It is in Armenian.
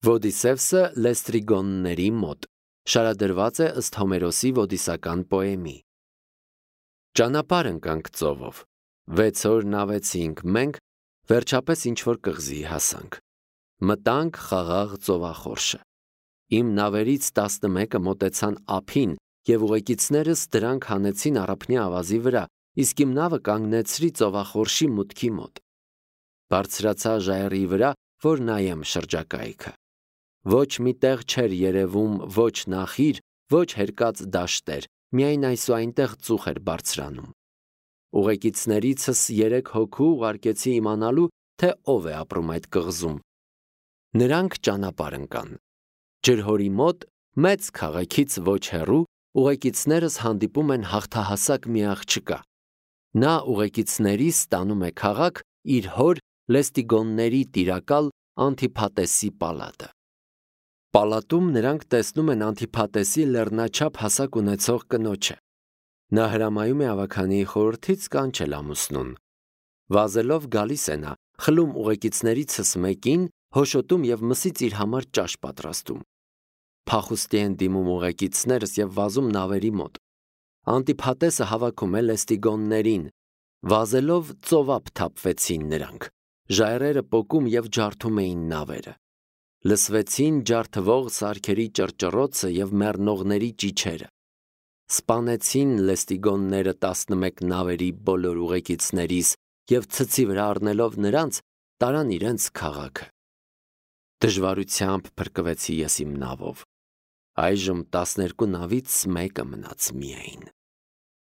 Ոդիսևսը լեստրիգոնների մոտ շարադրված է ըստ Հոմերոսի ոդիսական պոեմի։ Ճանապարհ ընկանք ծովով, 6 օր նավեցինք մենք, վերջապես ինչ-որ կղզի հասանք։ Մտանք խաղաղ ծովախորշը։ Իմ նավերից 11-ը մոտեցան ափին և ուղեկիցներս դրանք հանեցին առափնյա ավազի վրա, իսկ իմ նավը կանգնեցրի ծովախորշի մուտքի մոտ։ Բարձրացա ժայռի վրա, որ նայեմ շրջակայքը։ Ոչ մի տեղ չէր երևում ոչ նախիր, ոչ հերկած դաշտեր, միայն այսուայնտեղ ծուխ էր բարձրանում։ Ուղեկիցներիցս 3 հոգու ուղարկեցի իմանալու, թե ով է ապրում այդ կղզում։ Նրանք ճանապարհ ընկան։ Ջրհորի մոտ, մեծ քաղաքից ոչ հեռու, ուղեկիցներս հանդիպում են հաղթահասակ մի աղջկա։ Նա ուղեկիցներիս տանում է քաղաք իր հոր լեստիգոնների տիրակալ Անտիփատեսի պալատը։ Պալատում նրանք տեսնում են Անտիփատեսի լեռնաչափ հասակ ունեցող կնոջը։ Նա հրամայում է ավագանի խորհրդից կանչել ամուսնուն։ Վազելով գալիս է նա, խլում ուղեկիցներիցս մեկին, հոշոտում և մսից իր համար ճաշ պատրաստում։ Փախուստի են դիմում ուղեկիցներս և վազում նավերի մոտ։ Անտիփատեսը հավաքում է լեստիգոններին։ Վազելով ծովափ թափվեցին նրանք։ Ժայռերը պոկում և ջարդում էին նավերը։ Լսվեցին ջարդվող սարքերի ճռճռոցը և մեռնողների ճիչերը։ Սպանեցին լեստիգոնները 11 նավերի բոլոր ուղեկիցներիս և ցցի վրա առնելով նրանց, տարան իրենց քաղաքը։ Դժվարությամբ փրկվեցի ես իմ նավով։ Այժմ 12 նավից մեկը մնաց միայն։